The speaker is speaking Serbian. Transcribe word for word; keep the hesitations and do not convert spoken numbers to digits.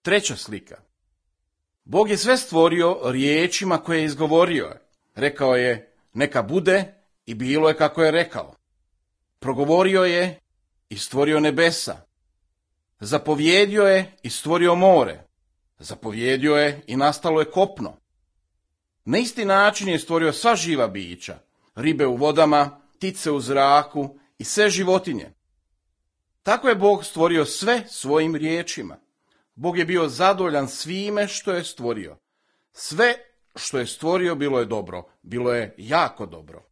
Treća slika. Bog je sve stvorio riječima koje je izgovorio. Rekao je, neka bude, i bilo je kako je rekao. Progovorio je i stvorio nebesa. Zapovjedio je i stvorio more. Zapovjedio je i nastalo je kopno. Na isti način je stvorio sva živa bića, ribe u vodama, ptice u zraku i sve životinje. Tako je Bog stvorio sve svojim riječima. Bog je bio zadovoljan svime što je stvorio. Sve što je stvorio bilo je dobro, bilo je jako dobro.